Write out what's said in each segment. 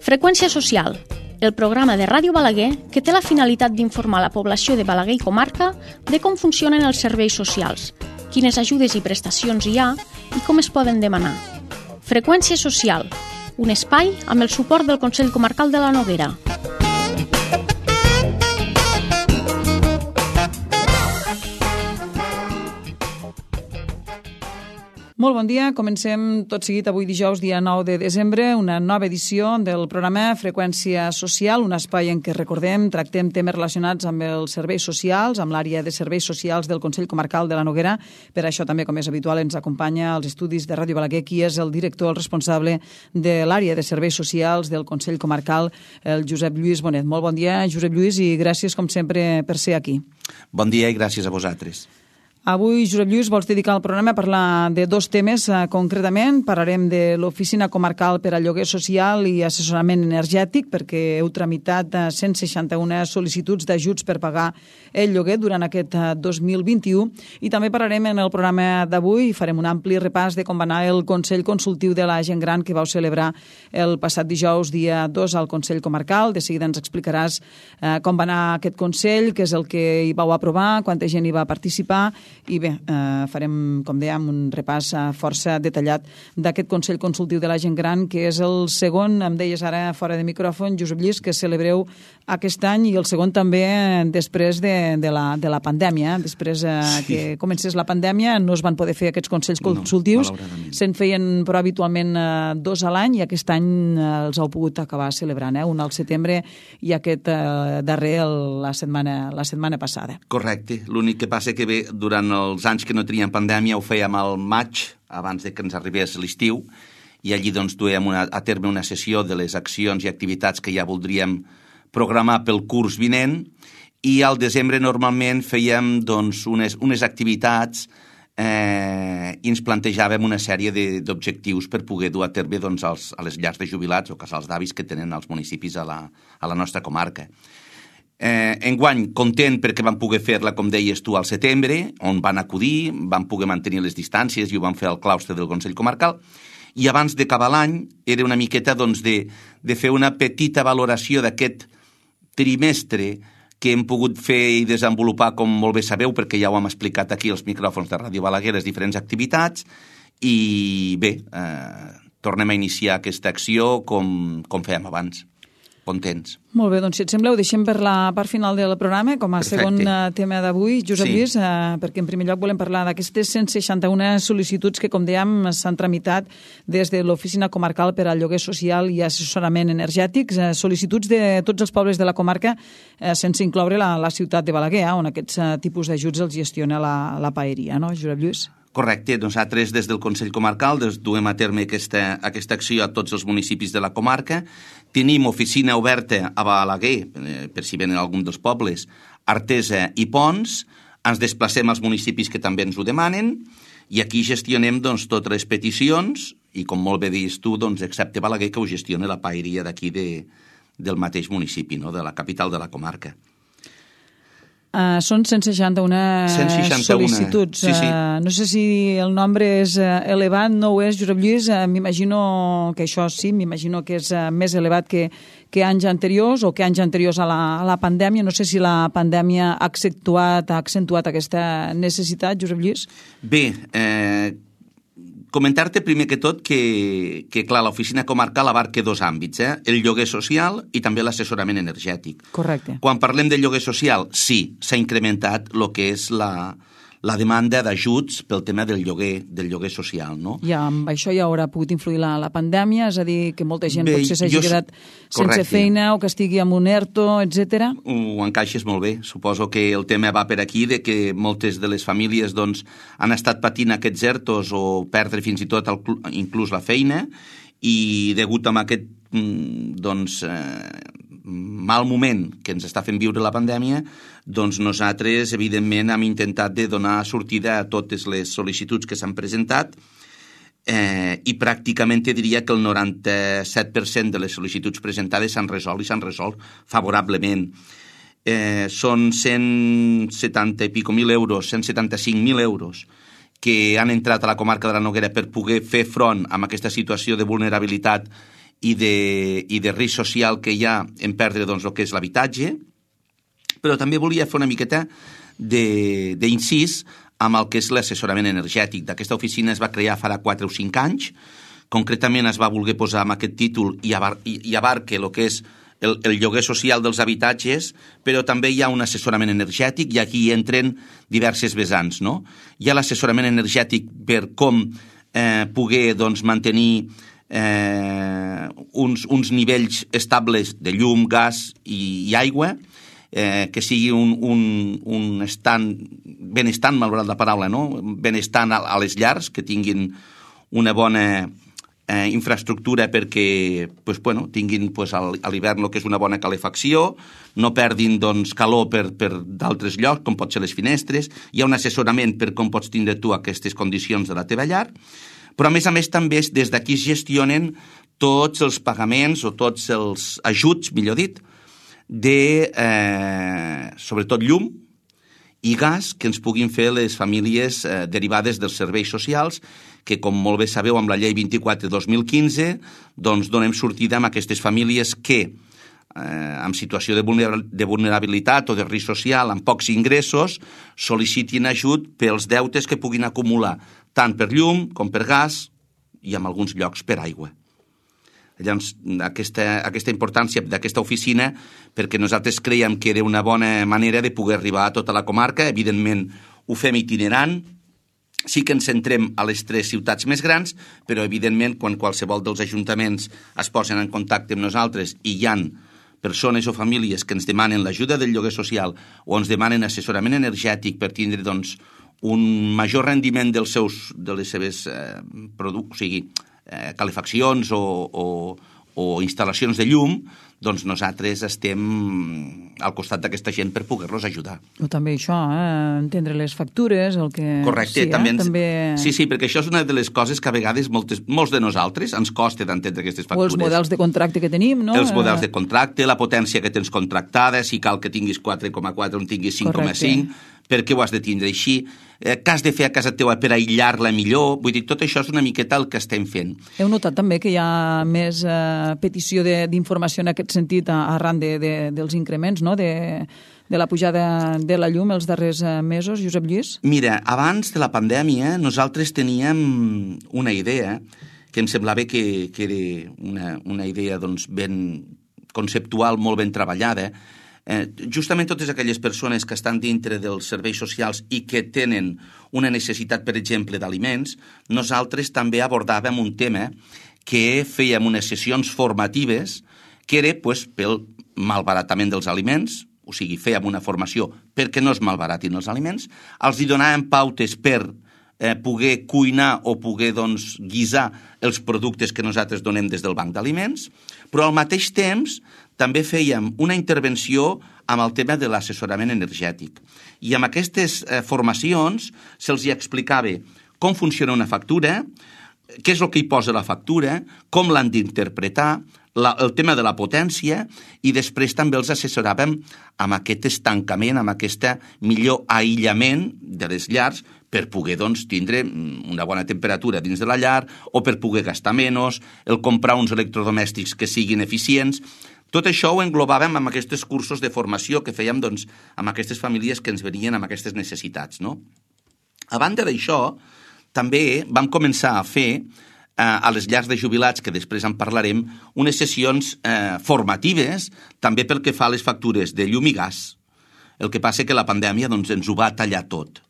Freqüència social, el programa de Ràdio Balaguer que té la finalitat d'informar la població de Balaguer i comarca de com funcionen els serveis socials, quines ajudes i prestacions hi ha i com es poden demanar. Freqüència social, un espai amb el suport del Consell Comarcal de la Noguera. Molt bon dia, comencem tot seguit avui dijous, dia 9 de desembre, una nova edició del programa Freqüència Social, un espai en què recordem, tractem temes relacionats amb els serveis socials, amb l'àrea de serveis socials del Consell Comarcal de la Noguera. Per això també, com és habitual, ens acompanya als estudis de Ràdio Balaguer, qui és el director, el responsable de l'àrea de serveis socials del Consell Comarcal, el Josep Lluís Bonet. Molt bon dia, Josep Lluís, i gràcies, com sempre, per ser aquí. Bon dia i gràcies a vosaltres. Avui, Josep Lluís, vols dedicar el programa a parlar de dos temes concretament. Parlarem de l'Oficina Comarcal per al Lloguer Social i Assessorament Energètic, perquè heu tramitat 161 sol·licituds d'ajuts per pagar el lloguer durant aquest 2021. I també parlarem en el programa d'avui, farem un ampli repàs de com va anar el Consell Consultiu de la Gent Gran que vau celebrar el passat dijous, dia 2, al Consell Comarcal. De seguida ens explicaràs com va anar aquest Consell, què és el que hi vau aprovar, quanta gent hi va participar. I bé, farem, com dèiem, un repàs força detallat d'aquest Consell Consultiu de la Gent Gran, que és el segon, em deies ara fora de micròfon, Josep Lluís, que celebreu aquest any, i el segon també després de la pandèmia. Després que comencés la pandèmia no es van poder fer aquests Consells Consultius, se'n feien però habitualment 2 a l'any, i aquest any els heu pogut acabar celebrant, un al setembre i aquest darrer la setmana passada. Correcte, l'únic que passa que bé, durant els anys que no teníem pandèmia ho fèiem al maig, abans de que ens arribés l'estiu, i allí doncs duèiem a terme una sessió de les accions i activitats que ja voldríem programar pel curs vinent, i al desembre normalment fèiem doncs unes activitats i ens plantejàvem una sèrie d'objectius per poder dur a terme doncs, a les llars de jubilats o casals d'avis que tenen els municipis a la nostra comarca. Enguany, content perquè vam poder fer-la, com deies tu, al setembre, on van acudir, van poder mantenir les distàncies i ho van fer al claustre del Consell Comarcal, i abans d'acabar l'any era una miqueta doncs, de fer una petita valoració d'aquest trimestre que hem pogut fer i desenvolupar, com molt bé sabeu, perquè ja ho hem explicat aquí als micròfons de Ràdio Balaguer, les diferents activitats, i bé, tornem a iniciar aquesta acció com fèiem abans. Contents. Molt bé, doncs si et sembla ho deixem per la part final del programa com a segon tema d'avui, Josep Lluís, perquè en primer lloc volem parlar d'aquestes 161 sol·licituds que, com dèiem, s'han tramitat des de l'Oficina Comarcal per al Lloguer Social i Assessorament Energètic, sol·licituds de tots els pobles de la comarca, sense incloure la ciutat de Balaguer, on aquests tipus d'ajuts els gestiona la paeria, no, Josep Lluís? Correcte, nosaltres des del Consell Comarcal duem a terme aquesta acció a tots els municipis de la comarca. Tenim oficina oberta a Balaguer, per si venen algun dels pobles, Artesa i Pons. Ens desplacem als municipis que també ens ho demanen i aquí gestionem doncs, totes les peticions i, com molt bé dius tu, doncs, excepte Balaguer, que ho gestiona la paeria d'aquí del mateix municipi, no? De la capital de la comarca. Són 161 sol·licituds. Sí. No sé si el nombre és elevat, no ho és, Josep Lluís. M'imagino que això sí, m'imagino que és més elevat que anys anteriors o que anys anteriors a la pandèmia. No sé si la pandèmia ha accentuat aquesta necessitat, Josep Lluís. Bé, comentar-te primer que tot que clar, l'oficina comarcal abarca 2 àmbits, el lloguer social i també l'assessorament energètic. Correcte. Quan parlem de lloguer social, sí, s'ha incrementat el que és la demanda d'ajuts pel tema del lloguer social, no? I amb això ja haurà pogut influir la pandèmia, és a dir, que molta gent potser s'hagi quedat sense feina o que estigui amb un ERTO, etc. Ho encaixes molt bé. Suposo que el tema va per aquí, de que moltes de les famílies doncs, han estat patint aquests ERTOs o perdre fins i tot inclús la feina, i degut a aquest mal moment que ens està fent viure la pandèmia, doncs nosaltres, evidentment, hem intentat de donar sortida a totes les sol·licituds que s'han presentat i pràcticament te diria que el 97% de les sol·licituds presentades s'han resolt i s'han resolt favorablement. Són 170 i pico mil euros, 175.000 euros que han entrat a la comarca de la Noguera per poder fer front a aquesta situació de vulnerabilitat i de risc social que hi ha en perdre doncs, el que és l'habitatge, però també volia fer una miqueta d'incís amb el que és l'assessorament energètic. Aquesta oficina es va crear farà 4 o 5 anys, concretament es va voler posar amb aquest títol i abarca el que és el lloguer social dels habitatges, però també hi ha un assessorament energètic i aquí entren diverses vessants, no? Hi ha l'assessorament energètic per com poder doncs, mantenir uns nivells estables de llum, gas i aigua, que sigui un benestant, malgrat la paraula, no? Benestant a les llars, que tinguin una bona infraestructura perquè tinguin a l'hivern el que és una bona calefacció, no perdin calor per d'altres llocs, com pot ser les finestres. Hi ha un assessorament per com pots tindre tu aquestes condicions de la teva llar, però a més també des d'aquí es gestionen tots els pagaments o tots els ajuts, millor dit, de sobretot llum i gas que ens puguin fer les famílies derivades dels serveis socials, que, com molt bé sabeu, amb la llei 24/2015, doncs donem sortida a aquestes famílies que, en situació de vulnerabilitat o de risc social, amb pocs ingressos, sol·licitin ajut pels deutes que puguin acumular, tant per llum com per gas i en alguns llocs per aigua. Llavors, aquesta importància d'aquesta oficina, perquè nosaltres creiem que era una bona manera de poder arribar a tota la comarca. Evidentment, ho fem itinerant, sí que ens centrem a les 3 ciutats més grans, però evidentment quan qualsevol dels ajuntaments es posen en contacte amb nosaltres i hi ha persones o famílies que ens demanen l'ajuda del lloguer social o ens demanen assessorament energètic per tindre un major rendiment de les seves calefaccions o instal·lacions de llum, doncs nosaltres estem al costat d'aquesta gent per poder-los ajudar. O també això, entendre les factures, el que... Correcte, també... Sí, perquè això és una de les coses que a vegades molts de nosaltres ens costa d'entendre aquestes factures. O els models de contracte que tenim, no? Els models de contracte, la potència que tens contractada, si cal que tinguis 4,4 o en tinguis 5,5, per què ho has de tindre així, què has de fer a casa teva per aïllar-la millor. Vull dir, tot això és una miqueta el que estem fent. Heu notat també que hi ha més petició d'informació en aquest sentit arran dels increments, no?, de la pujada de la llum els darrers mesos, Josep Lluís? Mira, abans de la pandèmia nosaltres teníem una idea que em semblava que era una idea ben conceptual, molt ben treballada. Justament totes aquelles persones que estan dintre dels serveis socials i que tenen una necessitat, per exemple, d'aliments, nosaltres també abordàvem un tema que fèiem unes sessions formatives que era pel malbaratament dels aliments, o sigui, fèiem una formació perquè no es malbaratin els aliments, els donàvem pautes per poder cuinar o poder guisar els productes que nosaltres donem des del banc d'aliments, però al mateix temps també fèiem una intervenció amb el tema de l'assessorament energètic. I amb aquestes formacions se'ls explicava com funciona una factura, què és el que hi posa la factura, com l'han d'interpretar, el tema de la potència, i després també els assessoràvem amb aquest estancament, amb aquest millor aïllament de les llars per poder tindre una bona temperatura dins de la llar o per poder gastar menys, el comprar uns electrodomèstics que siguin eficients. Tot això ho englobàvem amb aquests cursos de formació que fèiem amb aquestes famílies que ens venien amb aquestes necessitats, no? A banda d'això, també vam començar a fer a les llars de jubilats, que després en parlarem, unes sessions formatives també pel que fa a les factures de llum i gas. El que passa que la pandèmia ens ho va tallar tot.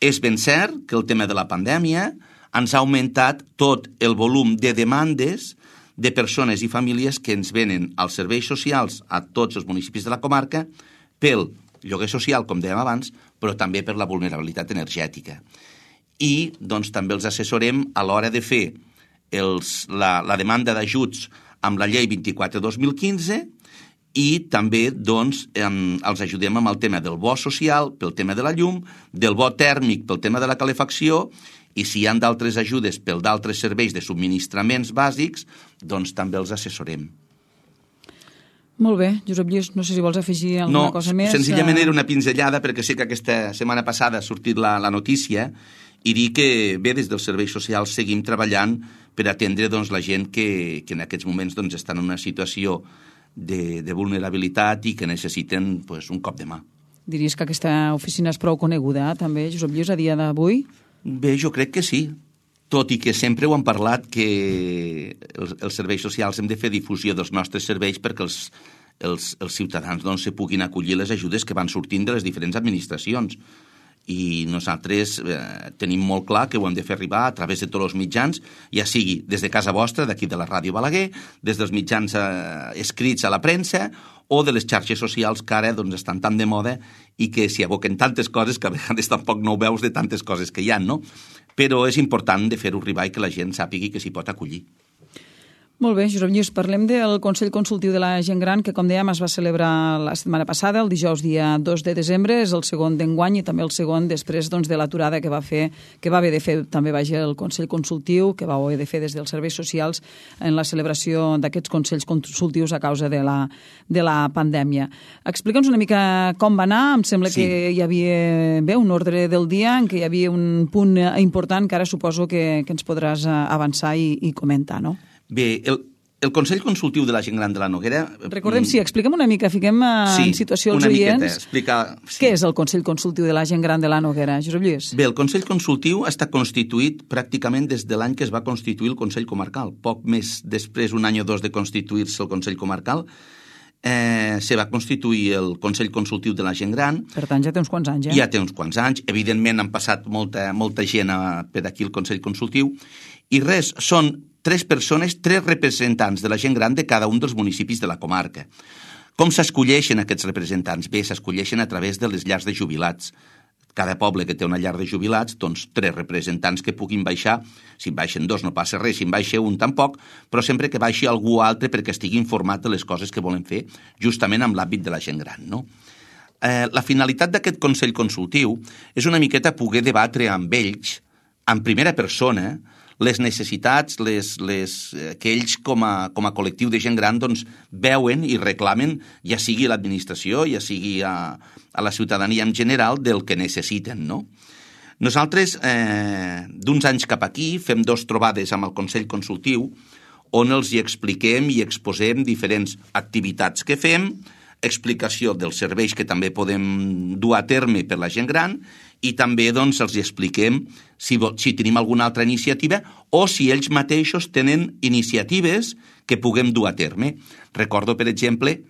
És ben cert que el tema de la pandèmia ens ha augmentat tot el volum de demandes de persones i famílies que ens venen als serveis socials a tots els municipis de la comarca pel lloguer social, com dèiem abans, però també per la vulnerabilitat energètica. I també els assessorem a l'hora de fer la demanda d'ajuts amb la llei 24/2015 i també els ajudem amb el tema del bo social pel tema de la llum, del bo tèrmic pel tema de la calefacció, i si hi ha d'altres ajudes per d'altres serveis de subministraments bàsics, també els assessorem. Molt bé, Josep Lluís, no sé si vols afegir alguna cosa més. No, senzillament era una pinzellada perquè sé que aquesta setmana passada ha sortit la notícia i dir que, bé, des dels serveis socials seguim treballant per atendre doncs, la gent que en aquests moments doncs, estan en una situació de vulnerabilitat i que necessiten pues, un cop de mà. Diries que aquesta oficina és prou coneguda, també, Josep Lluís, a dia d'avui? Bé, jo crec que sí. Tot i que sempre ho han parlat que els serveis socials hem de fer difusió dels nostres serveis perquè els ciutadans doncs, se puguin acollir les ajudes que van sortint de les diferents administracions. I nosaltres tenim molt clar que ho hem de fer arribar a través de tots els mitjans, ja sigui des de casa vostra, d'aquí de la Ràdio Balaguer, des dels mitjans escrits a la premsa o de les xarxes socials que ara doncs, estan tan de moda i que s'hi aboquen tantes coses que a vegades tampoc no ho veus de tantes coses que hi ha, no? Però és important de fer-ho arribar i que la gent sàpigui que s'hi pot acollir. Molt bé, Josep Lluís, parlem del Consell Consultiu de la Gent Gran, que, com dèiem, es va celebrar la setmana passada, el dijous dia 2 de desembre, és el segon d'enguany i també el segon després doncs, de l'aturada que va haver de fer també el Consell Consultiu, que va haver de fer des dels serveis socials en la celebració d'aquests Consells Consultius a causa de la pandèmia. Explica'ns una mica com va anar. Em sembla que hi havia un ordre del dia en què hi havia un punt important que ara suposo que ens podràs avançar i comentar, no? Bé, el Consell Consultiu de la Gent Gran de la Noguera... Recordem, expliquem una mica, fiquem en situació els oients. Què és el Consell Consultiu de la Gent Gran de la Noguera, Josep Lluís? Bé, el Consell Consultiu està constituït pràcticament des de l'any que es va constituir el Consell Comarcal. Poc més després, un any o dos de constituir-se el Consell Comarcal, se va constituir el Consell Consultiu de la Gent Gran. Per tant, ja té uns quants anys, Ja té uns quants anys. Evidentment, han passat molta gent per aquí al Consell Consultiu. I res, són 3 persones, 3 representants de la gent gran de cada un dels municipis de la comarca. Com s'escolleixen aquests representants? Bé, s'escolleixen a través de les llars de jubilats. Cada poble que té una llar de jubilats, doncs 3 representants que puguin baixar. Si en baixen 2 no passa res, si en baixa un tampoc, però sempre que baixi algú altre perquè estigui informat de les coses que volen fer justament amb l'àmbit de la gent gran, no? La finalitat d'aquest Consell Consultiu és una miqueta poder debatre amb ells, en primera persona, les necessitats que ells com a col·lectiu de gent gran doncs, veuen i reclamen, ja sigui a l'administració, ja sigui a la ciutadania en general, del que necessiten, no? Nosaltres, d'uns anys cap aquí, fem 2 trobades amb el Consell Consultiu on els hi expliquem i exposem diferents activitats que fem, explicació dels serveis que també podem dur a terme per la gent gran i també doncs, els expliquem si tenim alguna altra iniciativa o si ells mateixos tenen iniciatives que puguem dur a terme. Recordo, per exemple,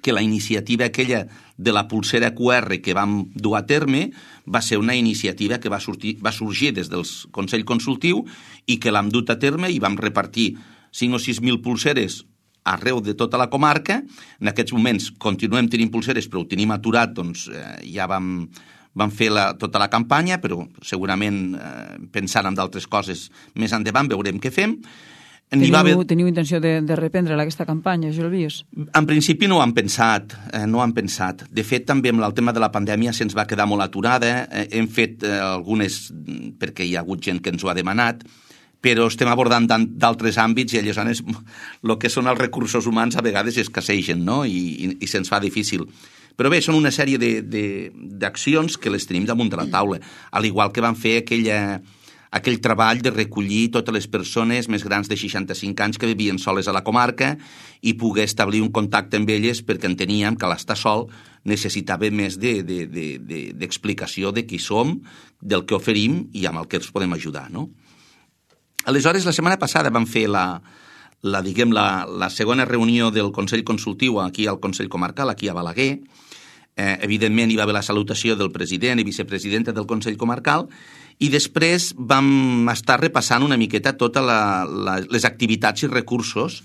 que la iniciativa aquella de la pulsera QR que vam dur a terme va ser una iniciativa que va sorgir des del Consell Consultiu i que l'hem dut a terme i vam repartir 5 o 6.000 pulseres arreu de tota la comarca. En aquests moments continuem tenint pulseres, però ho tenim aturat, doncs ja vam fer tota la campanya, però segurament pensant en d'altres coses més endavant veurem què fem. Teniu intenció de reprendre aquesta campanya, Josep Lluís? En principi no ho han pensat. De fet, també amb el tema de la pandèmia se'ns va quedar molt aturada. Hem fet algunes, perquè hi ha hagut gent que ens ho ha demanat, però estem abordant d'altres àmbits i aleshores el que són els recursos humans a vegades escassegen, no? I se'ns fa difícil. Però bé, són una sèrie d'accions que les tenim damunt de la taula, al igual que van fer aquell treball de recollir totes les persones més grans de 65 anys que vivien soles a la comarca i poder establir un contacte amb elles perquè enteníem que l'estar sol necessitava més d'explicació de qui som, del que oferim i amb el que els podem ajudar, no? Aleshores, la setmana passada vam fer la segona reunió del Consell Consultiu aquí al Consell Comarcal, aquí a Balaguer. Evidentment, hi va haver la salutació del president i vicepresidenta del Consell Comarcal i després vam estar repassant una miqueta totes les activitats i recursos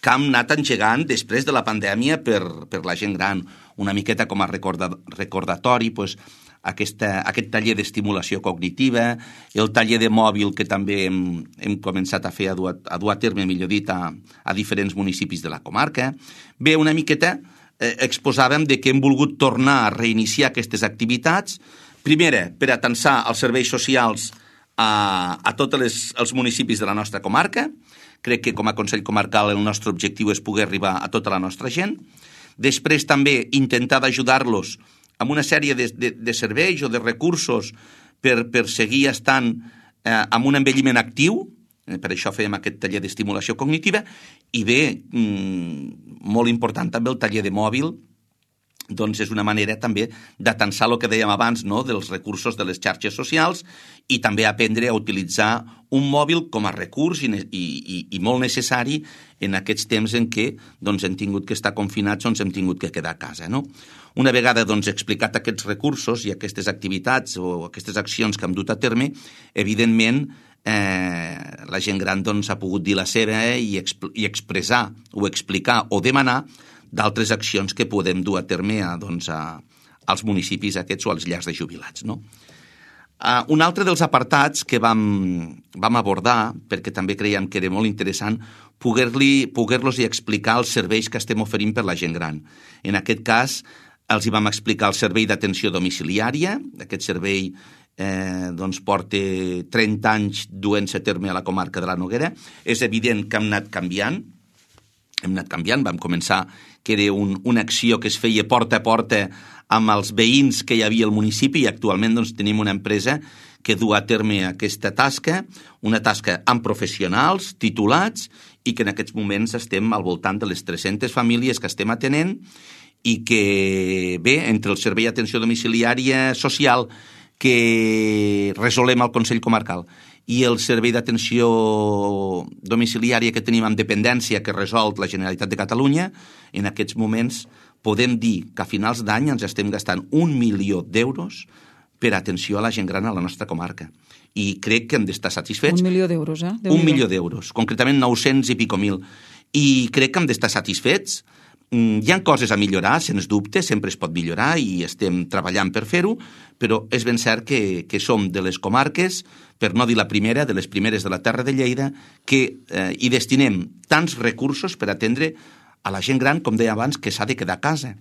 que hem anat engegant després de la pandèmia per la gent gran. Una miqueta com a recordatori, doncs, aquest taller d'estimulació cognitiva, el taller de mòbil que també hem començat a fer, a dur a terme, millor dit, a diferents municipis de la comarca. Bé, una miqueta exposàvem de que hem volgut tornar a reiniciar aquestes activitats, primera, per atensar els serveis socials a tots els municipis de la nostra comarca. Crec que com a Consell Comarcal el nostre objectiu és poder arribar a tota la nostra gent. Després també intentar d'ajudar-los amb una sèrie de serveis o de recursos per seguir estant amb un envelliment actiu, per això fèiem aquest taller d'estimulació cognitiva, i bé, molt important també el taller de mòbil, doncs és una manera també d'atensar el que dèiem abans, no?, dels recursos de les xarxes socials i també aprendre a utilitzar un mòbil com a recurs i molt necessari en aquests temps en què doncs, hem tingut que estar confinats, doncs hem tingut que quedar a casa, no? Una vegada doncs, explicat aquests recursos i aquestes activitats o aquestes accions que hem dut a terme, evidentment la gent gran doncs, ha pogut dir la seva i expressar o explicar o demanar d'altres accions que podem dur a terme als municipis aquests o als llars de jubilats, no? Un altre dels apartats que vam abordar, perquè també creiem que era molt interessant, poder-los explicar els serveis que estem oferint per la gent gran. En aquest cas, els hi vam explicar el servei d'atenció domiciliària. Aquest servei doncs porta 30 anys duent-se a terme a la comarca de la Noguera. És evident que hem anat canviant, vam començar que era una acció que es feia porta a porta amb els veïns que hi havia al municipi i actualment doncs, tenim una empresa que du a terme aquesta tasca, una tasca amb professionals titulats i que en aquests moments estem al voltant de les 300 famílies que estem atenent i que, bé, entre el servei d'atenció domiciliària social que resolem al Consell Comarcal i el servei d'atenció domiciliària que tenim amb dependència que resol la Generalitat de Catalunya, en aquests moments podem dir que a finals d'any ens estem gastant 1 milió d'euros per atenció a la gent gran a la nostra comarca. I crec que hem d'estar satisfets. 1 milió d'euros, eh? 1 milió d'euros, concretament 900 i pico mil. I crec que hem d'estar satisfets. Hi ha coses a millorar, sens dubte, sempre es pot millorar i estem treballant per fer-ho, però és ben cert que som de les comarques, per no dir la primera, de les primeres de la terra de Lleida, que hi destinem tants recursos per atendre a la gent gran, com deia abans, que s'ha de quedar a casa.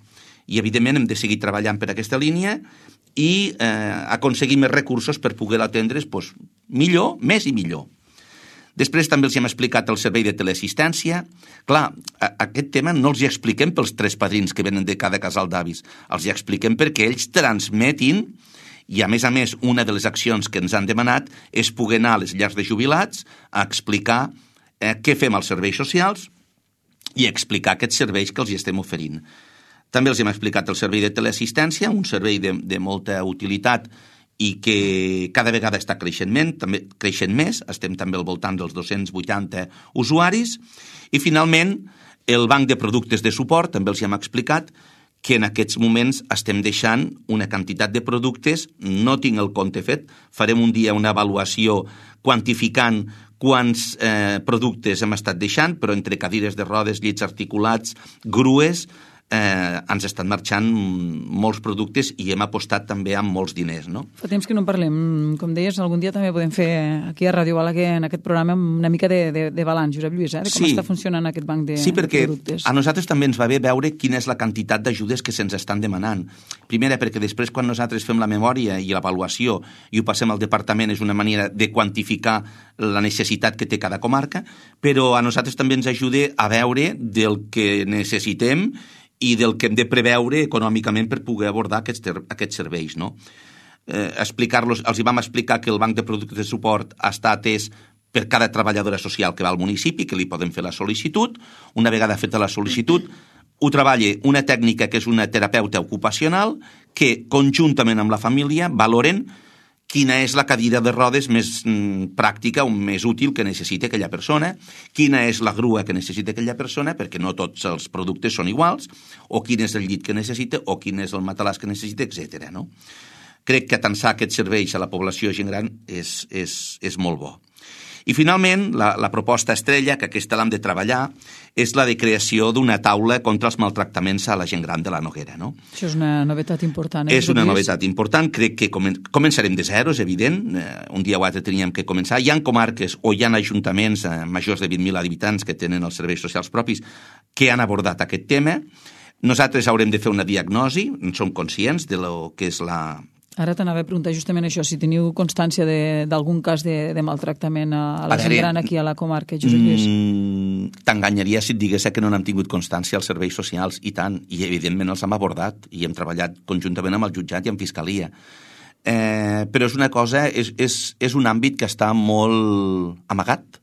I, evidentment, hem de seguir treballant per aquesta línia i aconseguir més recursos per poder atendre's millor, més i millor. Després també els hem explicat el servei de teleassistència. Clar, aquest tema no els hi expliquem pels 3 padrins que venen de cada casal d'avis. Els hi expliquem perquè ells transmetin i, a més, una de les accions que ens han demanat és poder anar a les llars de jubilats a explicar què fem als serveis socials i explicar aquests serveis que els hi estem oferint. També els hem explicat el servei de teleassistència, un servei de molta utilitat i que cada vegada està creixent més, estem també al voltant dels 280 usuaris, i finalment el banc de productes de suport, també els hem explicat que en aquests moments estem deixant una quantitat de productes, no tinc el compte fet, farem un dia una avaluació quantificant quants productes hem estat deixant, però entre cadires de rodes, llits articulats, grues, ens estan marxant molts productes i hem apostat també amb molts diners, no? Fa temps que no en parlem. Com deies, algun dia també podem fer aquí a Ràdio Balaguer, en aquest programa, una mica de balanç, Josep Lluís, de com està funcionant aquest banc de productes. Sí, perquè a nosaltres també ens va bé veure quina és la quantitat d'ajudes que se'ns estan demanant. Primera, perquè després quan nosaltres fem la memòria i l'avaluació i ho passem al departament és una manera de quantificar la necessitat que té cada comarca, però a nosaltres també ens ajuda a veure del que necessitem i del que hem de preveure econòmicament per poder abordar aquests serveis, no? Els hi vam explicar que el banc de productes de suport està atès per cada treballadora social que va al municipi, que li poden fer la sol·licitud. Una vegada feta la sol·licitud, ho treballa una tècnica que és una terapeuta ocupacional que, conjuntament amb la família, valoren quina és la cadira de rodes més pràctica o més útil que necessita aquella persona, quina és la grua que necessita aquella persona, perquè no tots els productes són iguals, o quin és el llit que necessita, o quin és el matalàs que necessita, etc. No? Crec que atensar aquests serveis a la població gent gran és molt bo. I finalment, la proposta estrella, que aquesta l'hem de treballar, és la de creació d'una taula contra els maltractaments a la gent gran de la Noguera. No? Això és una novetat important. És una novetat important. Crec que començarem de zero, és evident. Un dia o altre teníem que començar. Hi ha comarques o hi ha ajuntaments majors de 20.000 habitants que tenen els serveis socials propis que han abordat aquest tema. Nosaltres haurem de fer una diagnosi, en som conscients de lo que és la... Ara t'anava a preguntar justament això, si teniu constància d'algun cas de maltractament a la gent gran aquí a la comarca, Josep Lluís. T'enganyaria si et digués que no n'hem tingut constància als serveis socials, i tant, i evidentment els hem abordat i hem treballat conjuntament amb el jutjat i amb fiscalia. però és una cosa, és un àmbit que està molt amagat,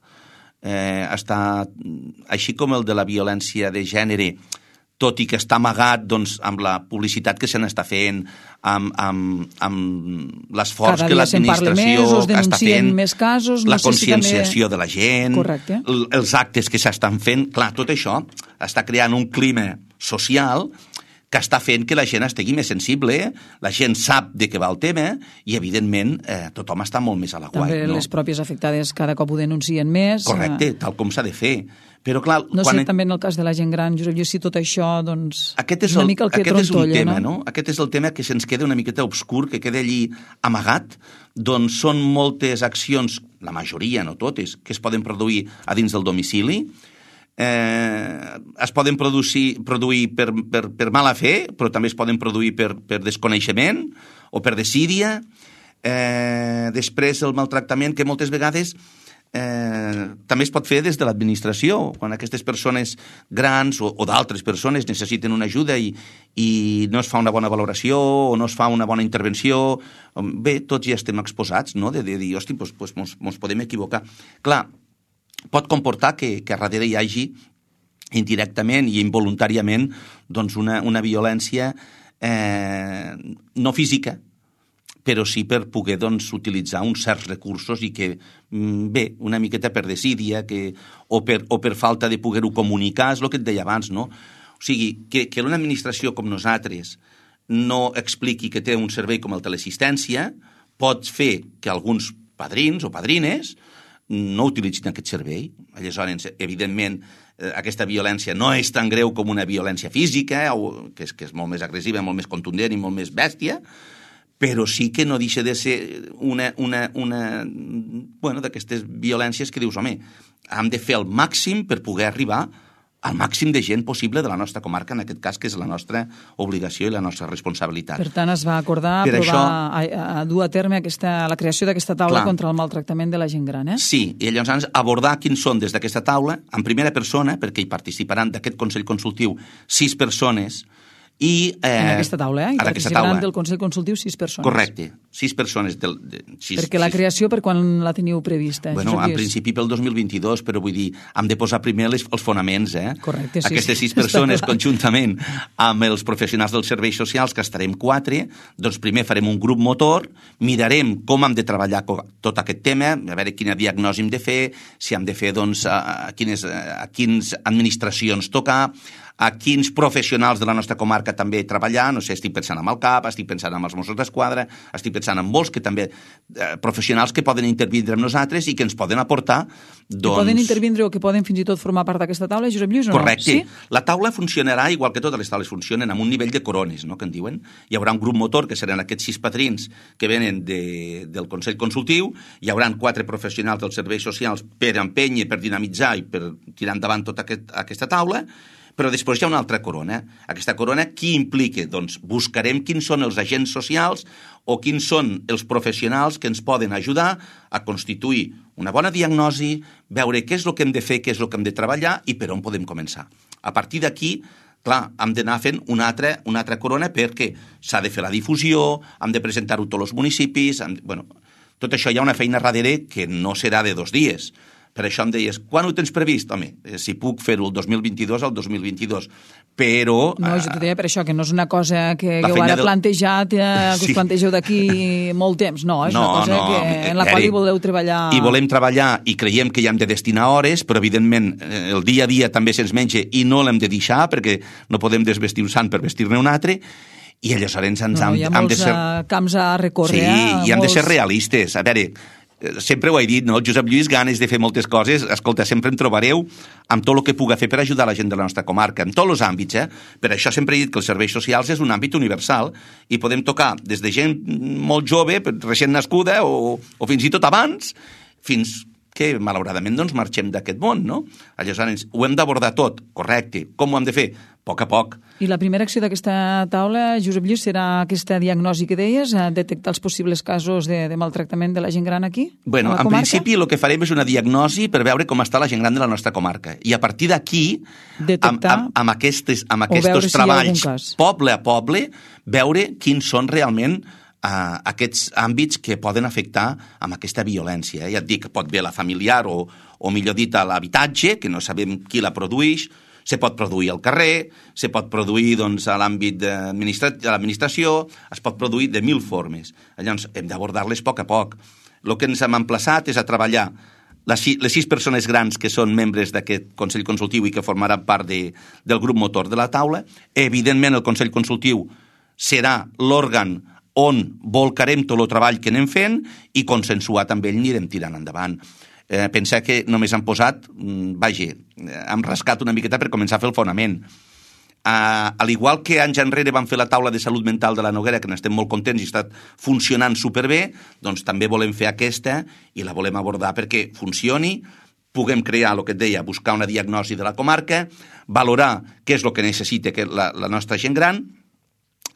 està, així com el de la violència de gènere, tot i que està amagat doncs, amb la publicitat que se n'està fent, amb l'esforç que l'administració està fent, més casos, la conscienciació de la gent, els actes que s'estan fent. Clar, tot això està creant un clima social que està fent que la gent estigui més sensible, la gent sap de què va el tema i, evidentment, tothom està molt més a l'aguait. També les pròpies afectades cada cop ho denuncien més. Correcte, tal com s'ha de fer. Però, clar, no sé, també en el cas de la gent gran, Josep Lluís, si tot això, doncs, una mica el que trontolla, no? Aquest és el tema que se'ns queda una miqueta obscur, que queda allí amagat, doncs són moltes accions, la majoria, no totes, que es poden produir a dins del domicili, es poden produir per mala fe, però també es poden produir per desconeixement o per desídia. Després el maltractament, que moltes vegades també es pot fer des de l'administració, quan aquestes persones grans o d'altres persones necessiten una ajuda i no es fa una bona valoració o no es fa una bona intervenció. Bé, tots ja estem exposats, no?, de dir, hosti, doncs mos podem equivocar. Clar, pot comportar que a darrere hi hagi indirectament i involuntàriament doncs una violència no física, però sí per poder doncs, utilitzar uns certs recursos i que, bé, una miqueta per desídia o per falta de poder-ho comunicar, és el que et deia abans, no? O sigui, que una administració com nosaltres no expliqui que té un servei com el teleassistència pot fer que alguns padrins o padrines no utilitzin aquest servei. Aleshores, evidentment, aquesta violència no és tan greu com una violència física, que és molt més agressiva, molt més contundent i molt més bèstia, però sí que no deixa de ser una d'aquestes violències que dius, home, hem de fer el màxim per poder arribar al màxim de gent possible de la nostra comarca, en aquest cas, que és la nostra obligació i la nostra responsabilitat. Per tant, es va acordar a dur a terme la creació d'aquesta taula contra el maltractament de la gent gran, eh? Sí, i llavors abordar quins són des d'aquesta taula, en primera persona, perquè hi participaran d'aquest Consell Consultiu 6 persones, i en aquesta taula, hi participaran del Consell Consultiu 6 persones. Correcte, 6 persones. Perquè la creació, per quan la teniu prevista? Bueno, en principi pel 2022, però vull dir, hem de posar primer els fonaments, eh? Correcte, sí. Aquestes 6 persones, conjuntament amb els professionals dels serveis socials, que estarem 4, doncs primer farem un grup motor, mirarem com hem de treballar tot aquest tema, a veure quina diagnosi hem de fer, si hem de fer, doncs, a quines administracions tocar, a quins professionals de la nostra comarca també treballar, no sé, estic pensant en el CAP, estic pensant en els Mossos d'Esquadra, estic pensant en molts que també professionals que poden intervindre amb nosaltres i que ens poden aportar, doncs... Que poden intervindre o que poden fins i tot formar part d'aquesta taula, Josep Lluís, o no? Correcte. Sí? La taula funcionarà igual que totes les taules funcionen, amb un nivell de corones, no?, que en diuen. Hi haurà un grup motor, que seran aquests 6 padrins que venen del Consell Consultiu, hi haurà 4 professionals dels serveis socials per empènyer, per dinamitzar i per tirar endavant tota aquesta taula. Però després hi ha una altra corona. Aquesta corona, qui implica? Doncs buscarem quins són els agents socials o quins són els professionals que ens poden ajudar a constituir una bona diagnosi, veure què és el que hem de fer, què és el que hem de treballar i per on podem començar. A partir d'aquí, clar, hem d'anar fent una altra corona perquè s'ha de fer la difusió, hem de presentar-ho a tots els municipis... Tot això hi ha una feina darrere que no serà de 2 dies. Per això em deies, quan ho tens previst? Home, si puc fer-ho el 2022, el 2022. Però... No, jo t'ho deia per això, que no és una cosa que heu ara plantejat, que us plantegeu d'aquí molt temps. No, és una cosa que en la qual hi voleu treballar... Hi volem treballar i creiem que hi hem de destinar hores, però evidentment el dia a dia també se'ns menja i no l'hem de deixar perquè no podem desvestir un sant per vestir-ne un altre. I aleshores hi ha molts camps a recórrer. Sí, i hem de ser realistes. A veure... Sempre ho he dit, no? El Josep Lluís, ganes de fer moltes coses. Escolta, sempre em trobareu amb tot el que puga fer per ajudar la gent de la nostra comarca, en tots els àmbits, eh? Per això sempre he dit que els serveis socials és un àmbit universal i podem tocar des de gent molt jove, recent nascuda, o fins i tot abans, fins que, malauradament, doncs, marxem d'aquest món, no? Aleshores, ho hem d'abordar tot, correcte. Com ho hem de fer? A poc a poc. I la primera acció d'aquesta taula, Josep Lluís, serà aquesta diagnosi que deies, detectar els possibles casos de maltractament de la gent gran aquí? Bueno, en principi el que farem és una diagnosi per veure com està la gent gran de la nostra comarca. I a partir d'aquí, amb aquests treballs, poble a poble, veure quins són realment aquests àmbits que poden afectar amb aquesta violència. Ja et dic, pot ve la familiar o millor dit, a l'habitatge, que no sabem qui la produeix, se pot produir al carrer, se pot produir doncs, a l'àmbit de l'administració, es pot produir de 1000 formes. Llavors, hem d'abordar-les a poc. El que ens hem emplaçat és a treballar les 6 persones grans que són membres d'aquest Consell Consultiu i que formaran part del grup motor de la taula. Evidentment, el Consell Consultiu serà l'òrgan on volcarem tot el treball que anem fent i consensuat amb ell anirem tirant endavant. Pensar que només han posat, hem rascat una miqueta per començar a fer el fonament. Al igual que anys enrere vam fer la taula de salut mental de la Noguera, que n'estem molt contents i ha estat funcionant superbé, doncs també volem fer aquesta i la volem abordar perquè funcioni, puguem crear el que et deia, buscar una diagnosi de la comarca, valorar què és el que necessita la nostra gent gran,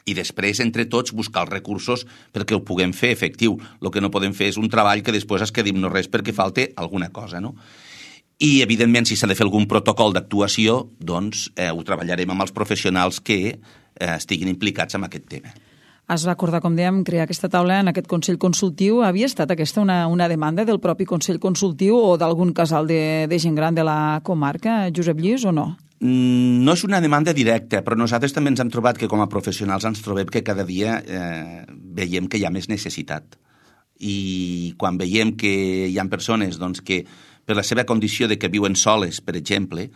i després, entre tots, buscar els recursos perquè ho puguem fer efectiu. El que no podem fer és un treball que després es quedi no res perquè falte alguna cosa, no? I, evidentment, si s'ha de fer algun protocol d'actuació, doncs ho treballarem amb els professionals que estiguin implicats en aquest tema. Es va acordar, com dèiem, crear aquesta taula en aquest Consell Consultiu. Havia estat aquesta una demanda del propi Consell Consultiu o d'algun casal de gent gran de la comarca, Josep Lluís, o no? No és una demanda directa, però nosaltres també ens hem trobat que com a professionals ens trobem que cada dia veiem que hi ha més necessitat. I quan veiem que hi ha persones doncs, que per la seva condició de que viuen soles, per exemple,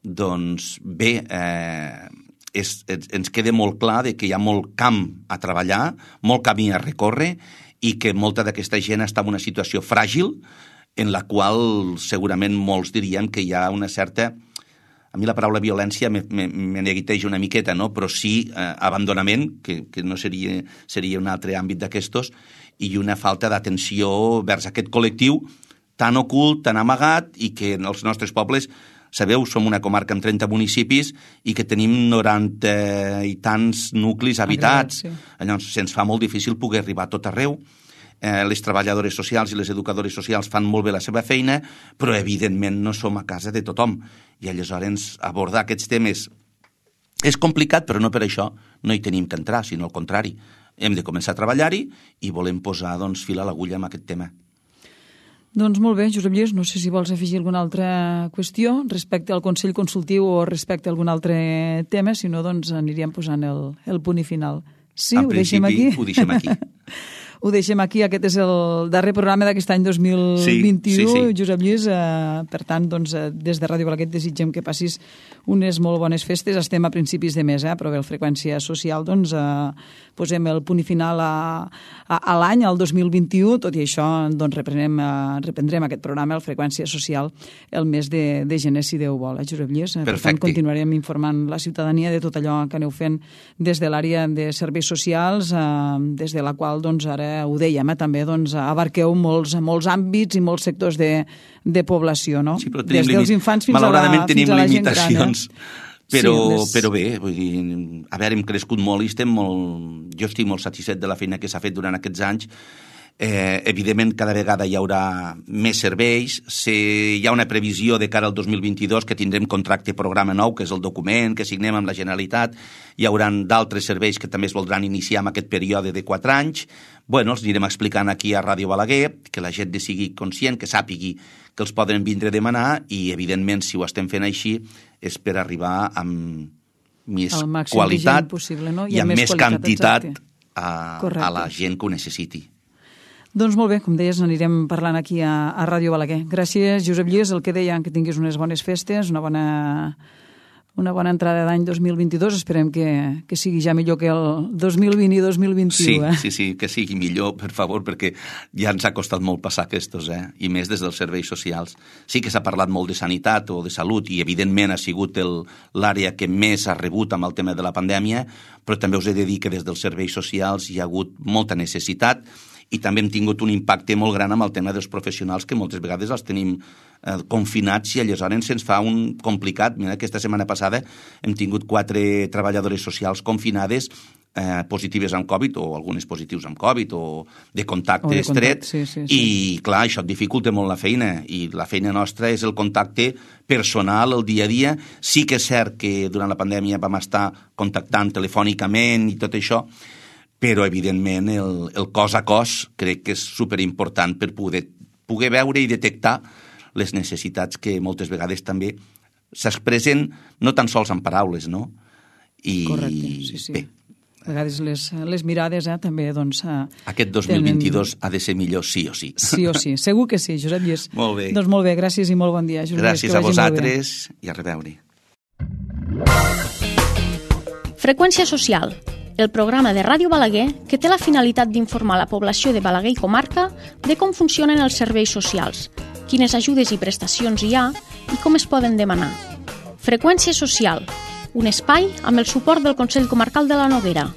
doncs bé, ens queda molt clar de que hi ha molt camp a treballar, molt camí a recórrer i que molta d'aquesta gent està en una situació fràgil en la qual segurament molts dirien que hi ha una certa... A mi la paraula violència me neguiteja una miqueta, no? Però sí abandonament, que no seria un altre àmbit d'aquestos, i una falta d'atenció vers aquest col·lectiu tan ocult, tan amagat, i que en els nostres pobles, sabeu, som una comarca amb 30 municipis i que tenim 90 i tants nuclis habitats. Sí. Llavors, se'ns fa molt difícil poder arribar a tot arreu. Les treballadores socials i les educadores socials fan molt bé la seva feina, però evidentment no som a casa de tothom. I aleshores abordar aquests temes és complicat, però no per això no hi tenim que entrar, sinó al contrari. Hem de començar a treballar-hi i volem posar fil a l'agulla amb aquest tema. Doncs molt bé, Josep Lluís, no sé si vols afegir alguna altra qüestió respecte al Consell Consultiu o respecte a algun altre tema, si no, doncs aniríem posant el punt i final. Sí, ho deixem aquí? Ho deixem aquí. Ho deixem aquí. Aquest és el darrer programa d'aquest any 2021, sí. Josep Lluís. Per tant, doncs, des de Ràdio Balaguer desitgem que passis unes molt bones festes. Estem a principis de mes, però bé, el Freqüència Social, doncs, posem el punt i final a l'any, al 2021. Tot i això, doncs, reprendrem aquest programa, el Freqüència Social, el mes de gener, si Déu vol. Josep Lluís, per tant, continuarem informant la ciutadania de tot allò que aneu fent des de l'àrea de serveis socials, des de la qual, doncs, ara ho dèiem, també doncs, abarqueu molts àmbits i molts sectors de població, no? Sí, però des dels infants fins a la gent gran. Tenim limitacions, però bé, vull dir, a veure, hem crescut molt i jo estic molt satisfet de la feina que s'ha fet durant aquests anys. Evidentment, cada vegada hi haurà més serveis. Hi ha una previsió de cara al 2022 que tindrem contracte programa nou, que és el document que signem amb la Generalitat. Hi haurà d'altres serveis que també es voldran iniciar en aquest període de 4 anys. Bueno, els anirem explicant aquí a Ràdio Balaguer, que la gent sigui conscient, que sàpigui que els poden vindre a demanar i, evidentment, si ho estem fent així, és per arribar amb més qualitat possible, no? i amb més quantitat a la gent que ho necessiti. Doncs molt bé, com deies, anirem parlant aquí a Ràdio Balaguer. Gràcies, Josep Lluís, el que deia, que tinguis unes bones festes, una bona entrada d'any 2022. Esperem que sigui ja millor que el 2020 i 2021. Sí, que sigui millor, per favor, perquè ja ens ha costat molt passar aquests, i més des dels serveis socials. Sí que s'ha parlat molt de sanitat o de salut i, evidentment, ha sigut l'àrea que més ha rebut amb el tema de la pandèmia, però també us he de dir que des dels serveis socials hi ha hagut molta necessitat i també hem tingut un impacte molt gran amb el tema dels professionals, que moltes vegades els tenim confinats i aleshores se'ns fa un complicat. Mira, aquesta setmana passada hem tingut 4 treballadores socials confinades positives amb Covid, o algunes positius amb Covid, o de contacte estret, sí. I clar, això et dificulta molt la feina, i la feina nostra és el contacte personal, el dia a dia. Sí que és cert que durant la pandèmia vam estar contactant telefònicament i tot això, però evidentment el cos a cos crec que és superimportant per poder veure i detectar les necessitats que moltes vegades també s'expressen no tan sols en paraules, no? Correcte, sí. Bé, a vegades les mirades també, doncs... Aquest 2022 ha de ser millor sí o sí. Sí o sí, segur que sí, Josep Lluís. Molt bé. Doncs molt bé, gràcies i molt bon dia. Josep gràcies Lluís, a vosaltres i a reveure. Freqüència social, el programa de Ràdio Balaguer que té la finalitat d'informar la població de Balaguer i comarca de com funcionen els serveis socials, quines ajudes i prestacions hi ha i com es poden demanar. Freqüència social, un espai amb el suport del Consell Comarcal de la Noguera.